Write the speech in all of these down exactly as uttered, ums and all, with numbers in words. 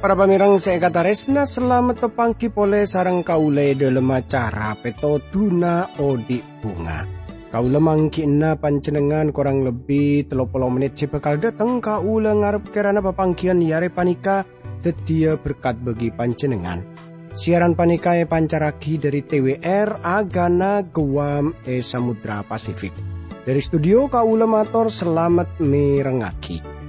Para pamèrèng sè èkatarèsna, salamet tapangghi polè sareng kaulâ è dhâlem acara Pètodhuna Odi' Bhunga. Kaulâ mangghi'na panjhennengngan korang lebbi tello polo mennit sè bhâkal dhâteng. Kaulâ ngarep kèrana papangghiyân è arè panèka dhâddhiyâ berkat bagi panjhennengngan. Siaran panèka èpancarraghi dhâri T W R Agana Guam è Samudra Pasifik. Dhâri studio kaulâ mator salamet mèrengngaghi.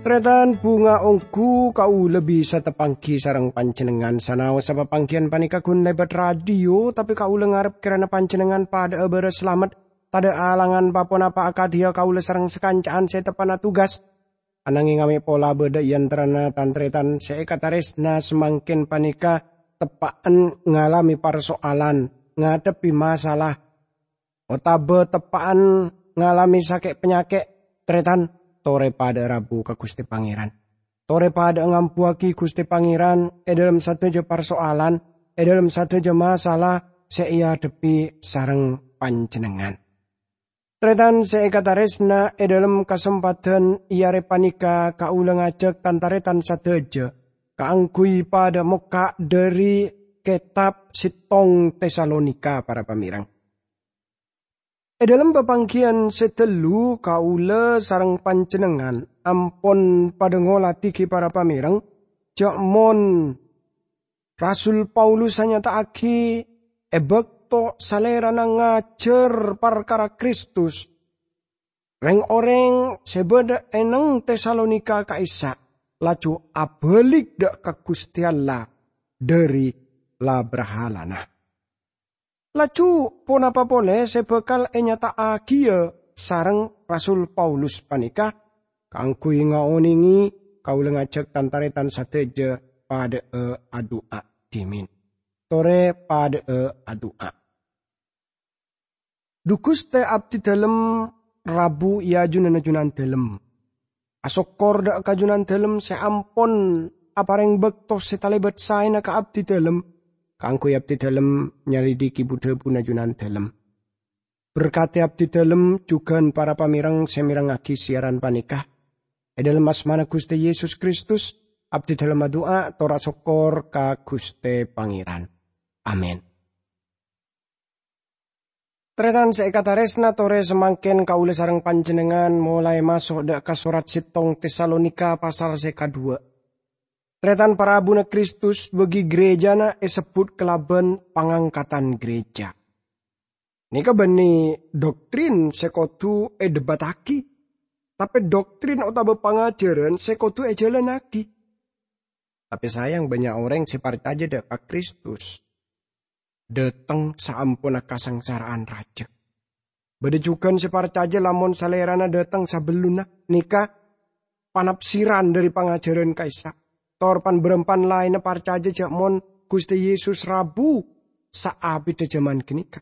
Tarètan, bhunga ongghu kaulâ bisa tapangghi sareng panjhennengngan. Sanaossa papangghiyân panèka ghun lèbât radio, tapè kaulâ ngarep kèrana panjhennengngan padhâ'â bârâs salamet, tadhâ' alangan pa-ponapa akadhiyâ kaulâ sareng sakanca'an sè teppa'na tugas. Ananghing amè' pola bâdâ è antarana tan-tarètan sè èkatarèsna samangkèn panèka teppa'en ngalamè parso'alan, ngadhebbhi masalah, otabâ teppa'en ngalamè sakè' panyakè', tarètan, torè padhâ'â rabu ka Ghustè Pangèran. Torè padhâ'â ngambuwâghi Ghustè Pangèran è dhâlem sadhâjâ parso'alan, è dhâlem sadhâjâ masalah sè èadhebbhi sareng panjhennengngan. Tarètan sè èkatarèsna, è dhâlem kasempadhân è arè panèka kaulâ ngajhâk tan-tarètan sadhâjâ kaangghuy padhâ mokka' dhâri kètab settong Tesalonika, para pamèrèng. È dhâlem papangghiyân sè ghâllu, kaulâ sareng panjhennengngan ampon padhâ ngolatè ghi, para pamèrèng, jhâ' mon Rasul Paulus anyata'aghi è bâkto salèrana ngajhâr parkara Kristus, rèng-orèng sè bâdâ è neng Tesalonika ka'issa' laju abâlik dhâ' ka Ghustè Allah dhâri la-brahalana. Laju ponapa polè sè bhâkal ènyata'aghiyâ sareng Rasul Paulus panèka? Kaangghuy ngaonèngè, kaulâ ngajhâk tan-tarètan sadhâjâ padhâ'â adu'a dhimèn. Torè padhâ'â adu'a. Dhu Ghustè, abdhidhâlem rabu è ajunanna Junandhâlem. Asokkor dhâ' ka Junandhâlem sè ampon aparèng bâkto sè talèbât saèna ka abdhidhâlem kaangghuy abdhidhâlem nyalidhighi bu-dhâbuna Junandhâlem. Berkadhi abdhidhâlem jhughân para pamèrèng sè mèrengngaghi siaran panèka. È dhâlem asmana Ghustè Yesus Kristus, abdhidhâlem adu'a tor asokkor ka Ghustè Pangèran. Amin. Tarètan sè èkatarèsna, torè samangkèn kaulâ sareng panjhennengngan molaè maso' dhâ' ka sorat settong Tesalonika pasal sè kadhuwâ'. Tarètan, parabuna Kristus bagi ghârèjâna èsebbhut kalabân pangangkatan ghârèjâ. Nèka bânnè doktrin sè kodhu èdhebbhâttaghi, tapè doktrin otabâ pangajhârân sè kodhu èjhâlânnaghi. Tapè sayang, bânnya' orèng sè parcajâ dhâ' ka Kristus dhâteng saamponna kasangsara'an rajâ. Bâdâ jhughân sè parcajâ lamon Salèrana dhâteng sabellunna, nèka panafsiran dhâri pangajhârân ka'issa'. Tor pan-bârâmpan laènna parcajâ jhâ' mon Ghustè Yesus rabu saabidhâ jhâman ghânèka.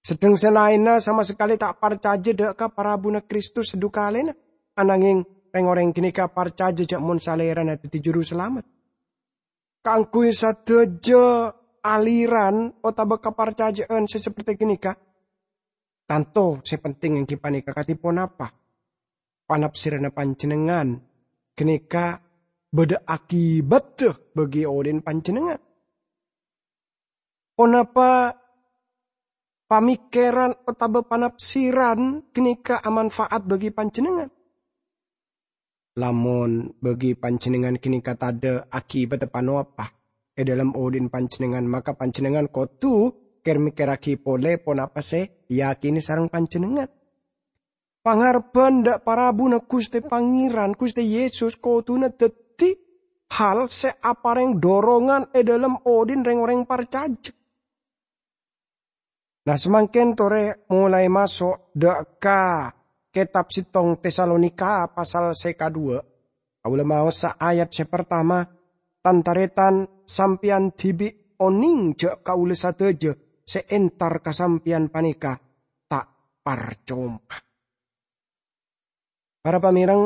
Sedheng sè laènna sama sakalè ta' parcajâ dhâ' ka parabuna Kristus sadukalèna, ananghing rèng-orèng ghânèka parcajâ jhâ' mon Salèrana dhâddhi Jurusalamet. Kaangghuy sadhâjâ aliran otabâ kaparcajâ'ân sè sapertè ghânèka, tanto sè penting èngghi panèka kadhi ponapa panafsiranna panjhennengngan ghânèka bâdâ akibatta bagi odi'na panjhennengngan. Ponapa pamèkkèran otabâ panafsiran ghânèka amanfaat bagi panjhennengngan? Lamon bagi panjhennengngan ghânèka tadâ' akibatta ponapa è dhâlem odi'na panjhennengngan, maka panjhennengngan kodhu kèr-mèkkèrraghi polè ponapa sè èyakènè sareng panjhennengngan. Pangarebbhân dhâ' parabuna Ghustè Pangèran, Ghustè Yesus, kodhuna dhâddhi hal sè aparèng dorongan è dhâlem odi'na rèng-orèng parcajâ. Nah, samangkèn torè molaè maso' dhâ' ka kètab settong Tesalonika pasal sè kadhuwâ'. Kaulâ maosa ayat sè partama, "Tan-tarètan, sampèyan dhibi' onèng jâ' kaulâ sadhâjâ sè entar ka sampèyan panèka ta' parcoma." Para pamèreng,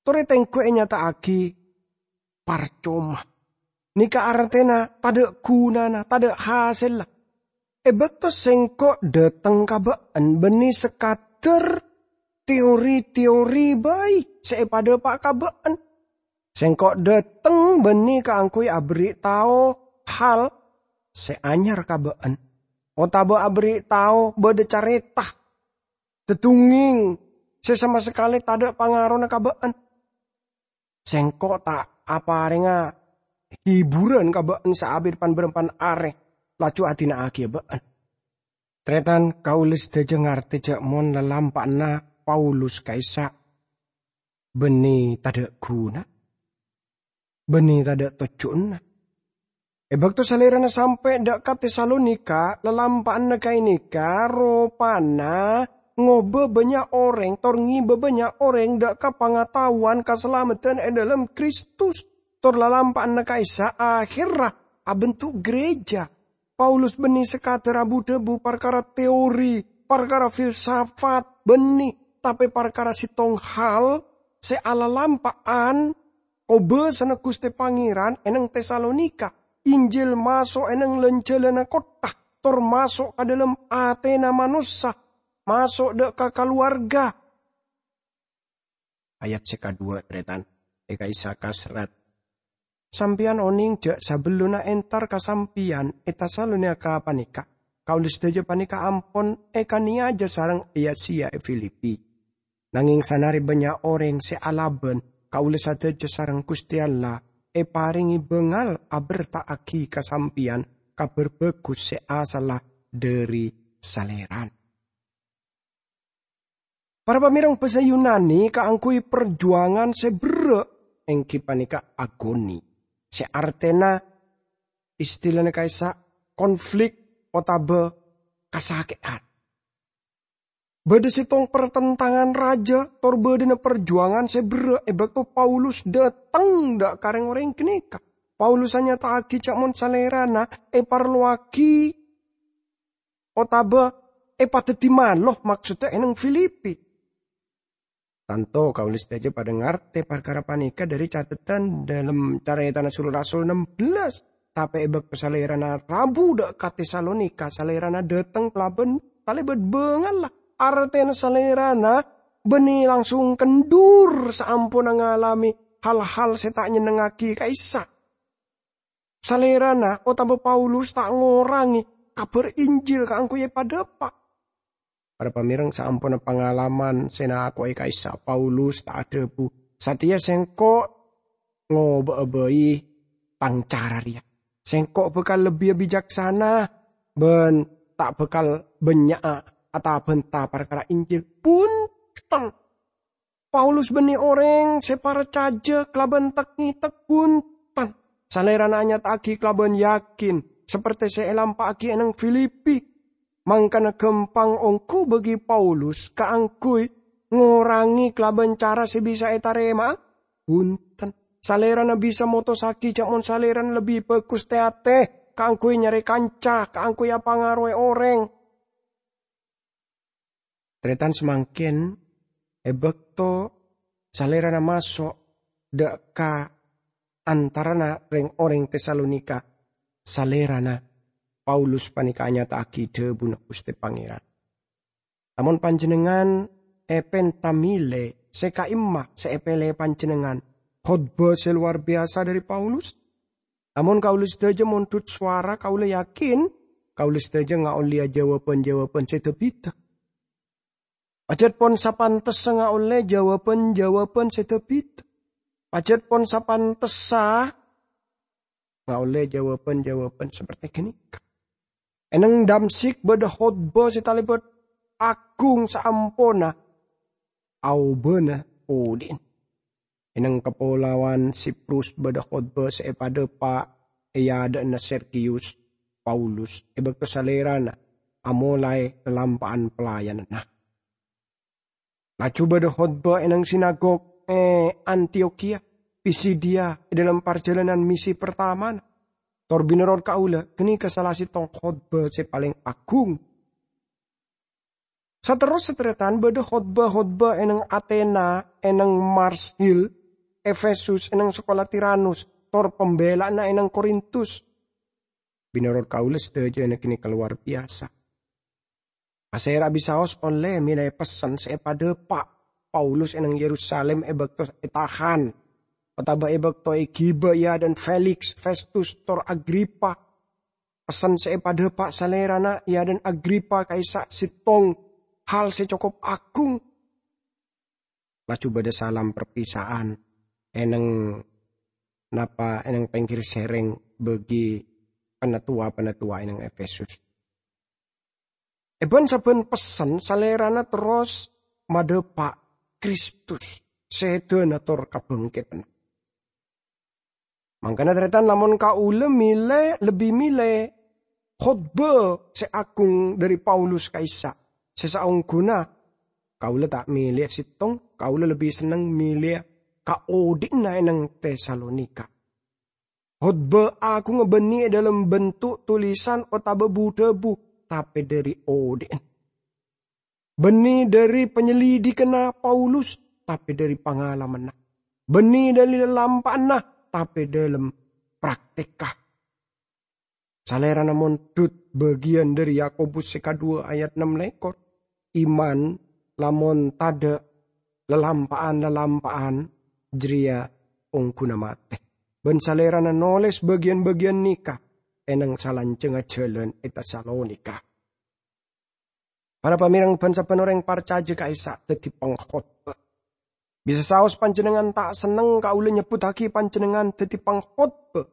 torè tengghu ènyata'aghi parcoma. Nèka artèna tadâ' ghunana, tadâ' hasèlla. È bâkto sèngko' dâteng ka bâ'en bânnè sakadâr teori-teori bhâi sè èpadâpa' ka bâ'en. Sèngko' dâteng bânnè kaangghuy aberri' tao hal sè anyar ka bâ'en, otabâ aberri' tao bâdâ carèta, dhâddhungngèng sè sama sakalè tadâ' pangarona ka bâ'en. Sèngko' ta' aparènga hiburan ka bâ'en saabit pan-bârâmpan arè, laju adina'aghiyâ bâ'en. Tarètan, kaulâ sadhâjâ ngartè jâ' mon lalampa'anna Paulus ka'issa' bânnè tadâ' ghuna, bânnè tadâ' tojjhuna. È bâkto Salèrana sampè' dâ' ka Tesalonika, lalampa'anna ghânèka ropana ngobâ bânnya' orèng, tor ngibâ bânnya' orèng dâ' ka pangataowan kasalameddhân è dhâlem Kristus, tor lalampa'anna ka'issa' akhèrra abentuk gereja. Paulus bânnè sakadâr abu-dhâbu parkara teori, parkara filsafat, bânnè, tapè parkara sèttong hal sè alalampa'an kobâsana Ghustè Pangèran è neng Tesalonika. Injil maso' è neng lan-jhâlânna kottha, tor maso' ka dhâlem atèna manossa, maso' dâ' ka kalowarga. Ayat sè kaduwâ', tarètan, è ka'issa' kaserrat, "Sampèyan onèng jâ' sabellunna entar ka sampèyan è Tesalonika panèka, kaulâ sadhâjâ panèka ampon èkanèyajâ sareng èya-sèya è Filipi. Nangèng sanarè bânnya' orèng sè alabân, kaulâ sadhâjâ sareng Ghustè Allah èparèngè bângal aberta'aghi ka sampèyan Kabhâr Bhâghus sè asalla dhâri Salèrana." Para pamèreng, bhâsa Yunani kaangghuy parjuwangan sè berrâ', èngghi panèka agoni, sè artèna istilana ka'issa' konflik otabâ kasakè'an. Bâdâ sèttong partentangan rajâ tor bâdâna parjuwangan sè berrâ' è bâkto Paulus dâteng dâ' ka rèng-orèng ghânèka. Paulus anyata'aghi jâ' mon Salèrana èparlowaghi otabâ èpadhâddhi malo, maksodda è neng Filipi. Tanto kaulâ sadhâjâ padâ ngartè parkara panèka dhâri catetan dhâlem Carètana Sul-Rasul ennem belas. Tapè è bâkto Salèrana rabu dâ' ka Tesalonika, Salèrana dâteng kalabân talèbât bângalla. Artèna Salèrana bânnè langsung kendhur saamponna ngalamè hal-hal sè ta' nyennengngaghi ka'issa'. Salèrana otabâ Paulus ta' ngorangè kabhâr Injil kaangghuy èpadâpa'. Para pamèreng, saamponna pangalaman sè nako'è ka'issa', Paulus ta' adhâbu, "Satèya sèngko' ngobâ'â bhâi tang cara rèya. Sèngko' bhâkal lebbi bicaksana bân ta' bhâkal bânnya'a atabânta parkara Injil." Bhunten! Paulus bânnè orèng sè parcajâ kalabân tek-ngètek, bhunten. Salèrana anyata'aghi kalabân yakin, sapertè sè èlampa'aghi è neng Filipi. Mangkana ghâmpang ongghu bagi Paulus kaangghuy ngorangè kalabân cara sè bisa ètarèma'a? Bhunten. Salèrana bisa motossaghi jâ' mon Salèrana lebbi bhâghus tè-atè kaangghuy nyarè kanca, kaangghuy apangaroè orèng. Tarètan, samangkèn, è bâkto Salèrana maso' dâ' ka antarana rèng-orèng Tesalonika, Salèrana Paulus panèka anyata'aghi dhâbuna Ghustè Pangèran. Lamon panjhennengngan èpènta mèlè sè ka'imma sè èpèlè panjhennengngan, khotbah sè lowar biyasa dhâri Paulus. Lamon kaulâ sadhâjâ mondhut sowara, kaulâ yakin kaulâ sadhâjâ ngaollèya jâwâbhân-jâwâbhân sè dâ-bhidhâ. Pajhât pon sapantessa ngaollè jâwâbhân-jâwâbhân sè dâ-bhidhâ. Pajhât pon sapantessa ngaollè jâwâbhân-jâwâbhân sapertè ghânèka. È neng Damsyik bâdâ khotbah sè talèbât aghung saamponna aobâna odi'na. È neng kapolawan Siprus bâdâ khotbah sè èpadâpa' è adâ'na Sergiyus Paulus è bâkto salèrana amolaè lalampa'an pelayananna. Laju bâdâ khotbah è neng sinagog è Antiokhia, Pisidia, è dâlem parjhâlânan misi pertamana. Tor bânnè rot kaulâ, ghânèka sala sèttong khotbah sè palèng aghung. Saterrossa, tarètan, bâdâ khotbah-khotbah è nèng Athena, è nèng Mars Hill, Efesus, è nèng sakola Tiranus, tor pambela'anna è nèng Korintus. Bânnè rot kaulâ sadhâjâna ghânèka lowar biyasa. Pasèra bisaos ollè mèlè pessen sè èpadâpa' Paulus è nèng Yerusalem è bâkto ètahan, otabâ è bâkto èghibâ è adâ'na Feliks, Festus, tor Agripa. Pessen sè èpadâpa' salèrana è adâ'na Agripa ka'issa' sèttong hal sè cokop aghung. Laju bâdâ salam perpisa'an è nèng napa è nèng pèngghir sèrèng bagi panatowa-panatowa è nèng Efesus. È bân-sabbhân pessen salèrana terros madâpa' Kristus, sèdhâna tor kabhângkèdhânna. Mangkana, tarètan, lamon kaulâ mèlè, lebbi mèlè khotbah sè aghung dhâri Paulus ka'issa', sè saongghuna kaulâ ta' mèlèya sèttong, kaulâ lebbi senneng mèlèya kaodhi'na è nèng Tesalonika. Khotbah aghungnga bânnè è dâlem bentuk tulisan otabâ bu-dhâbu, tapè dhâri odhi'na. Bânnè dhâri panyelidhikanna Paulus, tapè dhâri pangalamanna. Bânnè dhâri lalampa'anna, tapè dâlem praktekka. Salèrana mondhut bâgiyân dhâri Yakobus sè kadhuwâ ayat nem lèkor. Iman lamon tadâ' lalampa'an-lalampa'an jârèya ongghuna matè. Bân salèrana nolès bâgiyân-bâgiyân nèka è nèng salanjhângnga jhâlân è Tesalonika. Para pamèreng bân sabbhân orèng parcajâ ka'issa' dhâddhi pangkhotbah. Bisa saos panjhennengngan ta' senneng kaulâ nyebbhuttaghi panjhennengngan dhâddhi pangkhotbah.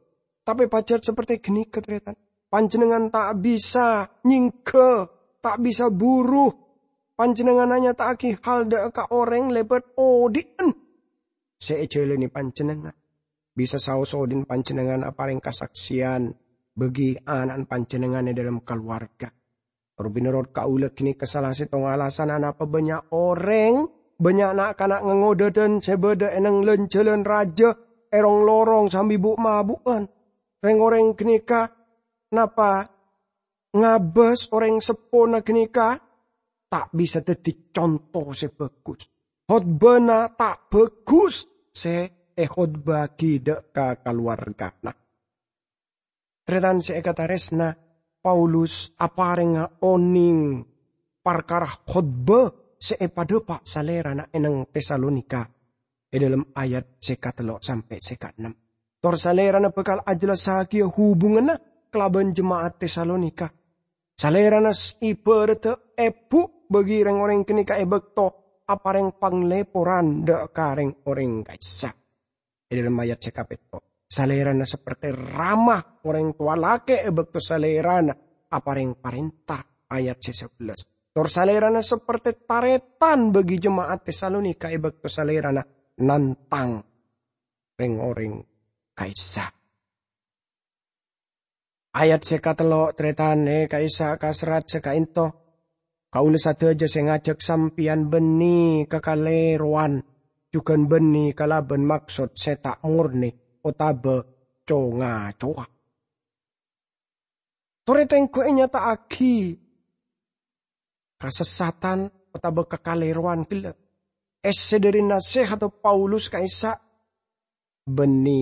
Tapè pajhât saperte ghânèka, tarètan. Panjhennengngan ta' bisa nyèngghâ, ta' bisa buru. Panjhennengngan anyata'aghi hal dhâ' ka orèng lèbât odhi'na sè èjhâlâni panjhennengngan. Bisa saos odhi'na panjhennengngan aparèng kasaksèyan bagi ana'na panjhennengngan è dâlem kalowarga. Tor bânnè rot kaulâ ghânèka sala sèttong alasanna napa bânnya' orèng, bânnya' na'-kana' ngangghâ dhâdhân sè bâdâ è nèng lan-jhâlân rajâ èrong-lorong sambi bu'-mabu'ân. Rèng-orèng ghânèka napa ngabâs orèng seppona ghânèka ta' bisa dhâddhi conto sè bhâghus. Khotbana ta' bhâghus sè èkhotbâ'aghi dhâ' ka kalowargana. Tarètan sè èkatarèsna, Paulus aparèngnga onèng parkara khotbah sè èpadâpa' salèrana è nèng Tesalonika è dâlem ayat sè katello' sampè' sè kaennem. Tor salèrana bhâkal ajhellassaghiyâ hubunganna kalabân jema'at Tesalonika. Salèrana s-, ibâraddhâ èbhu' bagi rèng-orèng ghânèka è bâkto aparèng panglèporan dhâ' ka rèng-orèng ka'issa'. È dâlem ayat sè kapètto', salèrana saperte rama orèng towa lakè' è bâkto salèrana aparèng parènta, ayat sè sabellâs. Tor salèrana saperte tarètan bagi jema'at Tesalonika è bâkto salèrana nantang rèng-orèng ka'issa'. Ayat sè katello', tarètan, è ka'issa' ka serrat sè ka'ènto. Kaulâ sadhâjâ sè ngajhâk sampèyan bânnè ka kalèrowan, jhughân bânnè kalabân maksod sè ta' morne otabâ co-ngacowa. Torè tèngghu ènyata'aghi kasessatan otabâ kakalèrowan ghellâ'. Essè dhâri nasèhatta Paulus ka'issa' bânnè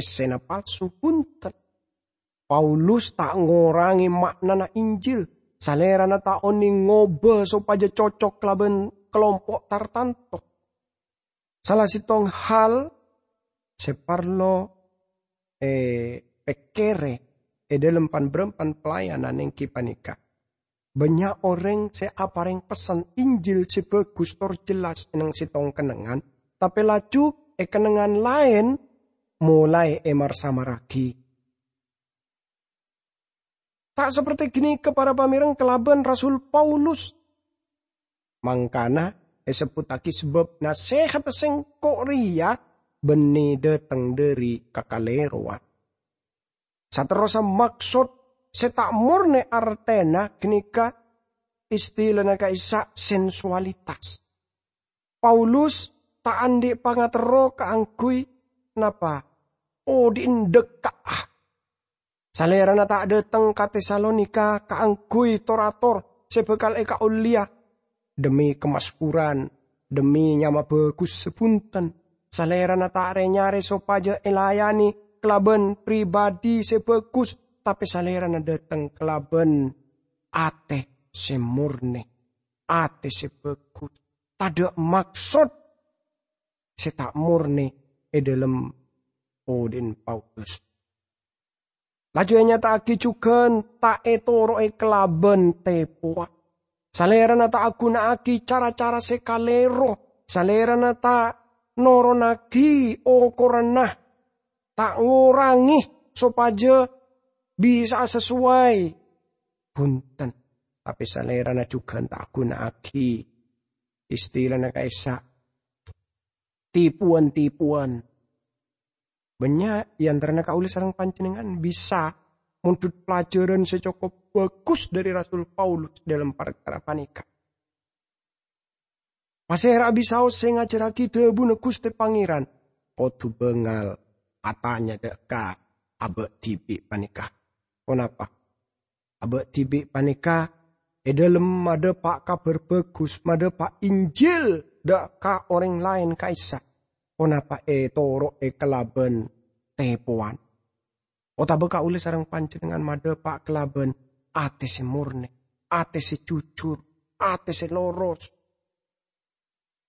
essèna palsu, bhunten. Paulus ta' ngorangè ma'nana Injil. Salèrana ta' onèng ngobâ sopajâ cocok kalabân kalompo' tartanto. Sala sèttong hal sè parlo èpèkkèrè è dâlem pan-bârâmpan pelayanan èngghi panèka, bânnya' orèng sè aparèng pessen Injil sè bhâghus tor jelas è nèng sèttong kennengngan, tapè laju è kennengngan laèn molaè èmar-samarraghi. Ta' saperte ghânèka para pamèreng kalabân Rasul Paulus. Mangkana èsebbhuttaghi sabâb nasèhatta sèngko' rèya bânnè dâteng dhâri kakalèrowan. Saterrossa maksod sè ta' morne artèna ghânèka istilana ka'issa' sensualitas. Paulus ta' andhi' pangaterro kaangguy napa? Odhi'na dhâkka'a. Salèrana ta' dhâteng ka Tesalonika kaangguy tor-ator sè bhâkal èkaollèya dhemmi kamaksuran, dhemmi nyama bhâghus sè bhunten. Salèrana ta' rè-nyarè sopajâ èlayanè kalabân pribadhi sè bhâghus, tapè salèrana dhâteng kalabân atè sè mornè, atè sè bhâghus, tadhâ' maksod sè ta' mornè è dhâlem odhi'na Paulus. Laju ènyata'aghi jhughân ta' ètoro'è kalabân tèpowan. Salèrana ta' aghuna'aghi cara-cara sè kalèro. Salèrana ta' noronaghi okoranna, ta' ngorangè sopajâ bisa'a sasoway. Bhunten, tapè salèrana jhughân ta' aghuna'aghi istilana ka'issa' tipowan-tipowan. Bânnya' è antarana kaulâ sareng panjhennengngan bisa mondhut pelajaran sè cokop bhâghus dhâri Rasul Paulus dhâlem parkara panèka. Pasèra bisaos sè ngajhârraghi dhâbuna Ghustè Pangèran, kodhu bângal atanya dhâ' ka abâ' dhibi' panèka. Ponapa? Abâ' dhibi' panèka è dhâlem madhâpa' Kabhâr Bhâghus, madhâpa' Injil dhâ' ka orèng laèn ka'issa'. Ponapa ètoro'è kalabân tèpowan? Otabâ kaulâ sareng panjhennengngan madhâpa' kalabân atè sè mornè, atè sè jujur, atè sè loros?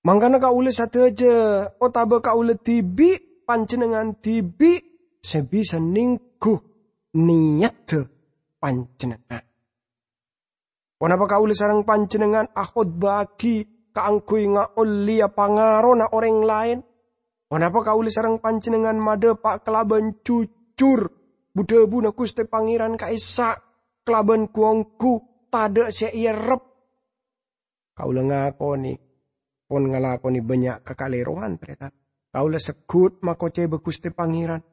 Mangkana kaulâ sadhâjâ, otabâ kaulâ dhibi', panjhennengngan dhibi', sè bisa nèngghu nèyaddhâ panjhennengngan. Ponapa kaulâ sareng panjhennengngan akhotbâ'aghi kaangghuy ngaollèya pangarona orèng laèn? Ponapa kaulâ sareng panjhennengngan madhâpa' kalabân jujur bu-dhâbuna Ghustè Pangèran ka'issa', kalabân ghu-ongghu, tadhâ' sè èerrep? Kaulâ ngakonè, pon ngalakonè bânnya' kakalèrowan, tarètan. Kaulâ segghut makocèba Ghustè Pangèran.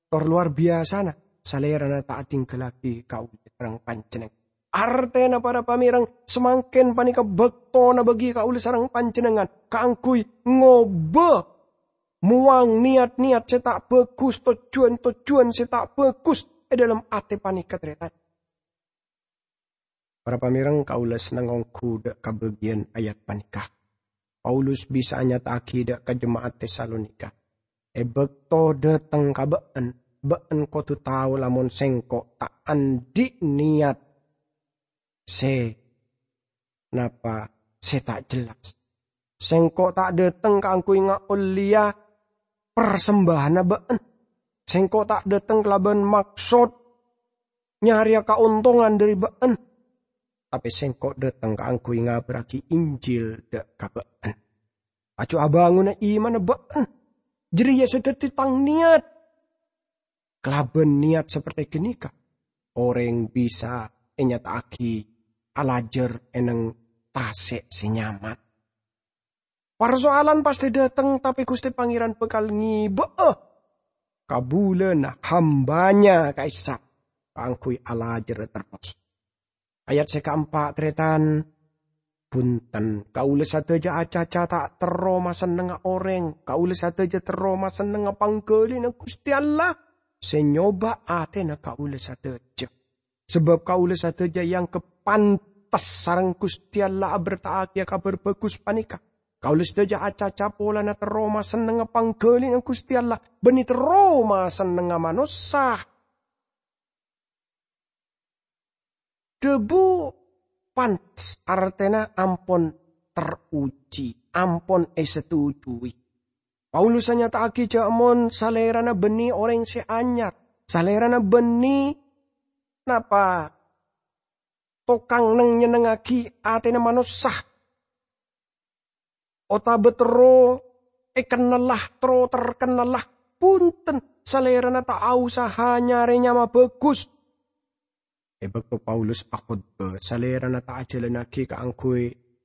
Tor lowar biyasana, Salèrana ta' adhinggallaghi kaulâ sareng panjhennengngan. Artèna, para pamèreng, samangkèn panèka bâktona bagi kaulâ sareng panjhennengngan kaangghuy ngobâ, mowang nèyat-nèyat sè ta' bhâghus, tojjhuwân-tojjhuwân sè ta' bhâghus è dhâlem atè panèka, tarètan. Para pamèreng, kaulâ senneng ongghu dhâ' ka bâgiyân ayat panèka. Paulus bisa anyata'aghi dhâ' ka jema'at Tesalonika, "È bâkto dhâteng ka bâ'ân, bâ'ân kodhu tao lamon sèngko' ta' andhi' nèyat sè napa sè ta' jelas. Sèngko' ta' dhâteng kaangghuy ngaollèya parsembâhânna bâ'ân. Sèngko' ta' dhâteng kalabân maksod nyarèya kaontongan dhâri bâ'ân. Tapè sèngko' dhâteng kaangghuy ngabârraghi Injil dhâ' ka bâ'ân. Laju abângona imanna bâ'ân. Jârèya sè dhâddhi tang nèyat." Kalabân nèyat saperte ghânèka, orèng bisa ènyata'aghi alajâr è neng tasè' sè nyaman. Parsoalan pastè dhâteng, tapè Ghustè Pangèran bhâkal ngibâ'â kabulâna hambâna ka'issa' kaangghuy alajârrâ terros. Ayat sè kaempa', tarètan, bhunten, kaulâ sadhâjâ acaca ta' terro masennengnga orèng, kaulâ sadhâjâ terro masennengnga pangghâlina Ghustè Allah sè nyoba atèna kaulâ sadhâjâ. Sabâb kaulâ sadhâjâ èangghep pantes sareng Ghustè Allah aberta'aghiyâ Kabhâr Bhâghus panèka. Kaulâ sadhâjâ acaca polana terro masennengnga pangghâlina Ghustè Allah, bânnè terro masennengnga manossa. Dhâbu pantes artèna ampon ter'uji, ampon èsatujui. Paulus anyata'aghi jâ' mon salèrana bânnè orèng sè anyar, salèrana bânnè napa tokang neng-nyennengngaghi atèna manossa. Otabâ terro èkennella, terro terkennella, bhunten, salèrana ta' aosaha nyarè nyama bhâghus. È bâkto Paulus akhotbah, salèrana ta' ajhâlânnaghi kaangghuy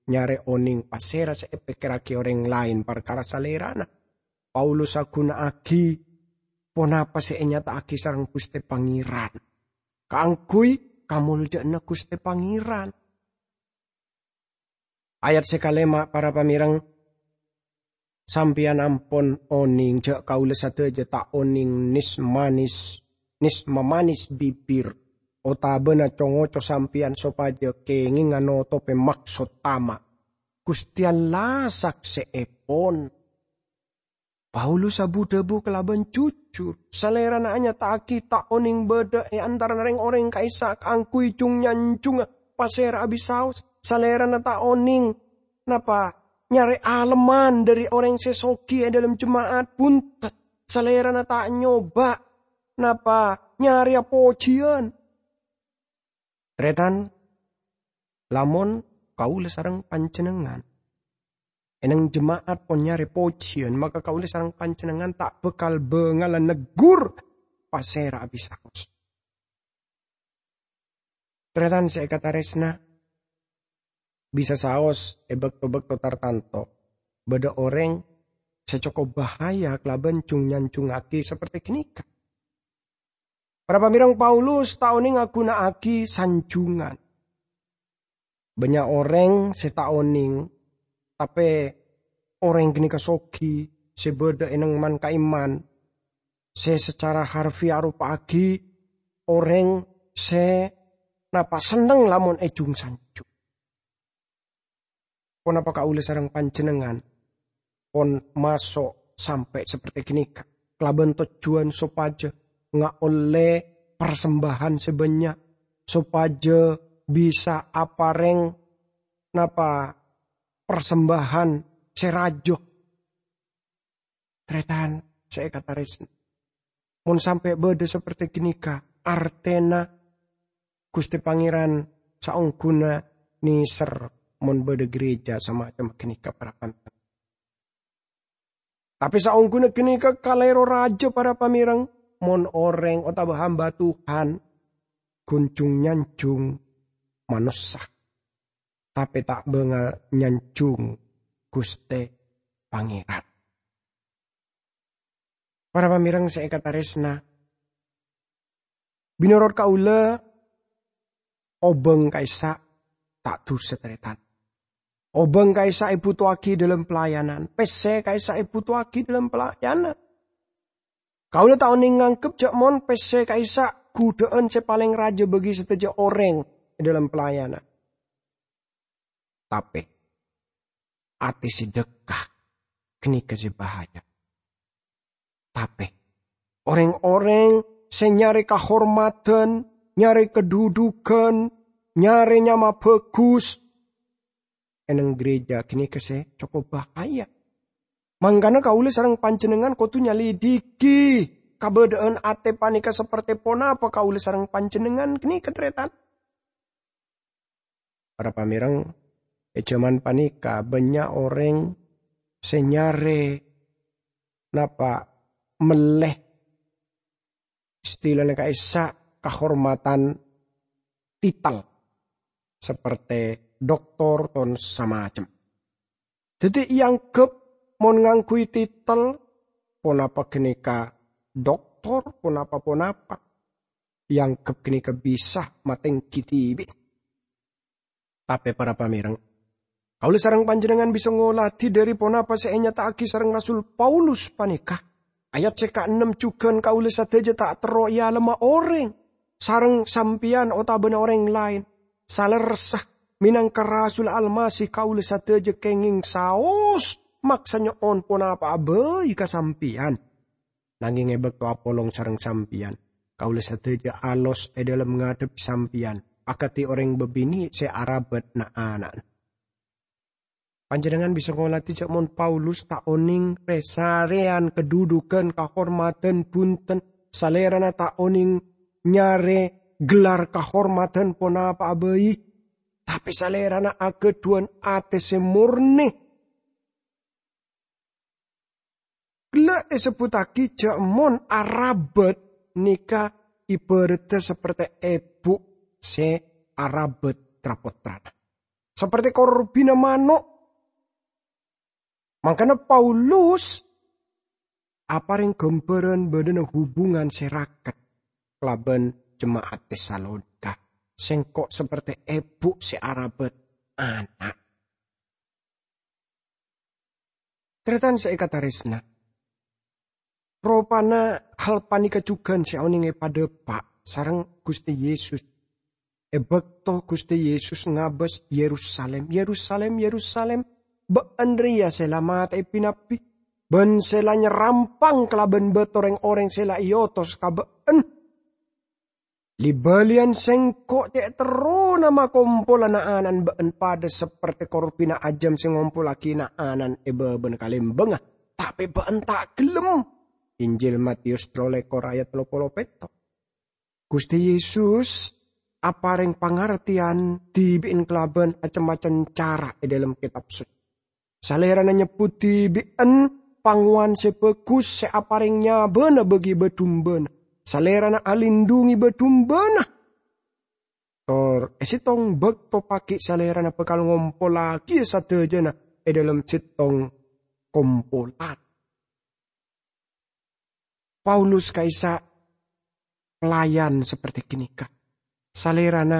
nyarè onèng pasèra sè èpèkkèrraghi orèng laèn parkara salèrana. Paulus aghuna'aghi ponapa sè ènyata'aghi sareng Ghustè Pangèran kaangghuy kamoljâ'ânna Ghustè Pangèran. Ayat sè kalèma', para pamèreng, Sampèyan ampon onèng jhâ' kaulâ sadhâjâ ta' onèng nès-manès, nès-mamanès bibir, otabâna co-ngoco sampèyan sopajâ kèngènga notobhi maksod tama'. Ghustè Allah saksèèpon. Paulus abu-dhâbu kalabân jujur. Salèrana anyata'aghi ta' onèng bâdâ è antarana rèng-orèng ka'issa' kaangghuy jung-nyanjungnga pasèra'a bisaos. Salèrana ta' onèng napa nyarè alemman dhâri orèng sè soghi è dhâlem jema'at, bhunten. Salèrana ta' nyoba napa nyarèya pojhiyân. Tarètan, lamon kaulâ sareng panjhennengngan è nèng jema'at pon nyarè pojhiyân, maka kaulâ sareng panjhennengngan ta' bhâkal bângalla neggur pasèra'a bisaos. Tarètan sè èkatarèsna, bisa saos è bâkto-bâkto tartanto bâdâ orèng sè cokop bahaya kalabân jung-nyanjungngaghi saperti ghânèka. Para pamèreng, Paulus ta' onèng aghuna'aghi sanjungan. Bânnya' orèng sè ta' onèng, tapè orèng ghânèka soghi, sè bâdâ è nèng man-ka'imman, sè sacara harfiah aropa'aghi orèng sè napa senneng lamon èjung-sanjung. Ponapa kaulâ sareng panjhennengngan pon maso' sampè' saperti ghânèka, kalabân tojjhuwân sopajâ ngaollè parsembahan sè bânnya', sopajâ bisa aparèng napa parsembahan sè rajâ. Tarètan sè èkatarèsna, mon sampè' bâdâ saperti ghânèka, artèna Ghustè Pangèran saongghuna nèser mon bâdâ gereja samacem ghânèka, para pamèreng. Tapè saongghuna ghânèka kalèro rajâ, para pamèreng, mon orèng otabâ hamba Tuhan ghun jung-nyanjung manossa, tapè ta' bângal nyanjung Ghustè Pangèran. Para pamèreng sè èkatarèsna, mènorot kaulâ, obâng ka'issa' ta' dhusa, tarètan. Obâng ka'issa' èbhutoaghi dhâlem pelayanan, pèssè ka'issa' èbhutoaghi dhâlem pelayanan. Kaulâ ta' onèng nganggep jhâ' mon pèssè ka'issa' ghudhâ'ân sè palèng rajâ bagi sadhâjâ orèng è dhâlem pelayanan. Tapè, atè sè dhâkka ghânèka sè bahaya. Tapè, orèng-orèng sè nyarè kahormadhân, nyarè kadhudhughân, nyarè nyama bhâghus è nèng gereja ghânèka sè cokop bahaya. Mangkana kaulâ sareng panjhennengngan kodhu nyalidhighi kabâdâ'ân atè panèka saperti ponapa kaulâ sareng panjhennengngan ghânèka, tarètan. Para pamèreng, è jhâman panèka bânnya' orèng sè nyarè napa mellè, istilana ka'issa' kahormadhân titel, saperti doktor ton samacem. Dhâddhi èangghep mon ngangghuy titel, ponapa ghânèka doktor, ponapa-ponapa, èangghep ghânèka bisa matèngghi dhibi'. Tapè para pamèreng, kaulâ sareng panjhennengngan bisa ngoladhi dhâri ponapa sè ènyata'aghi sareng Rasul Paulus panèka. Ayat sè kaennem jhughân kaulâ sadhâjâ ta' terro èalemma orèng, sareng sampèyan otabâna orèng laèn. Salerressa, mènangka rasul Almasih kaulâ sadhâjâ kèngèng saos maksa nyo'on ponapa'a bhâi ka sampèyan. Nangèng è bâkto apolong sareng sampèyan, kaulâ sadhâjâ alos è dhâlem ngadhebbhi sampèyan, akadhi orèng bâbinè' sè arabât na'-ana'na. Panjhennengngan bisa ngoladhi jhâ' mon Paulus ta' onèng rè-sarèyan kadhudhughân kahormadhân bhunten, salèrana ta' onèng nyarè gelar kahormadhân ponapa'a bhâi, tapè salèrana aghâdhuwân atè sè mornè. Ghellâ' èsebbhuttaghi jhâ' mon arabât nèka ibhârâddhâ saperti èbhu' sè arabât tra-pottrana, saperti korbhina mano'. Mangkana Paulus aparèng ghâmbhârân bâdâna hubungan sè raket kalabân jema'at Tesalonika, "Sèngko' saperti èbhu' sè arabât ana'." Tarètan sè èkatarèsna, ropana hal panèka jhughân sè onèng èpadhâpa' sareng Ghustè Yesus. È bâkto Ghustè Yesus ngabâs, "Yerusalim, Yerusalim, Yerusalim, bâ'ân rèya sè la matè'è bi-nabbi, bân sè la nyarampang kalabân bâto rèng-orèng sè la èotos ka bâ'ân! Li-bâliyân Sèngko' cè' terrona makompola na'-ana'na bâ'ân padâ sapertè korbhina ajâm sè ngompollaghi na'-ana'na è bâbâna kalèmbângnga, tapè bâ'ân ta' ghellem." Injil Matius tello lèkor ayat tello polo pètto'. Ghustè Yesus aparèng pangartèyan dhibi'en kalabân cem-macem cara è dhâlem Kètab Socè. Salèrana nyebbhut dhibi'en pangowan sè bhâghus sè aparèng nyabâna bâgi bâdumbâna. Salèrana alindhungi bâdumbâna. Tor è sèttong bâkto paghi' Salèrana bhâkal ngompollaghi sadhâjâna è dhâlem sèttong kompolan. Paulus ka'issa' pelayan sapertè ghânèka. Salèrana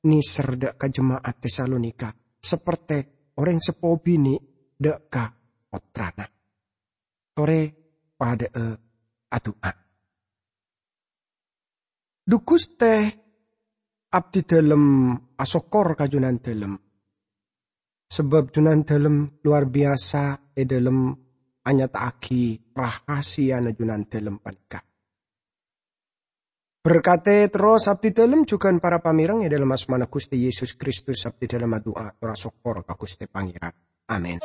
ngèser dhâ' ka jema'at Tesalonika sapertè orèng seppo binè' dhâ' ka pottrana. Torè padhâ'â adu'a. Dhu Ghustè, abdhi dhâlem asokkor ka Jhunandhâlem, sabâb Jhunandhâlem lowar biyasa è dhâlem anyata'aghi rahasiyana Jhunandhâlem panèka. Berkatè terros abdhi dhâlem jhughân para pamèreng è dhâlem asmana Ghustè Yesus Kristus abdhi dhâlem adu'a tor asokkor ka Ghustè Pangèran. Amin.